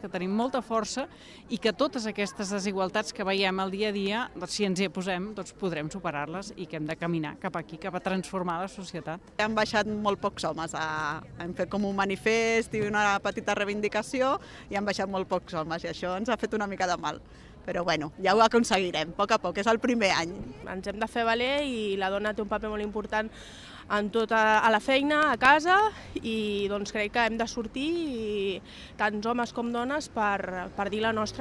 que tenim molta força i que totes aquestes desigualtats que veiem al dia a dia, doncs, si ens hi posem, doncs podrem superar-les i que hem de caminar cap aquí, cap a transformar la societat. Han baixat molt pocs homes, hem fet com un manifest i una petita reivindicació i han baixat molt pocs homes i això ens ha fet una mica de mal. Però bueno, ja ho aconseguirem, a poc, és el primer any. Ens hem de fer valer i la dona té un paper molt important en tota a la feina, a casa, i doncs crec que hem de sortir, tants homes com dones, per dir la nostra.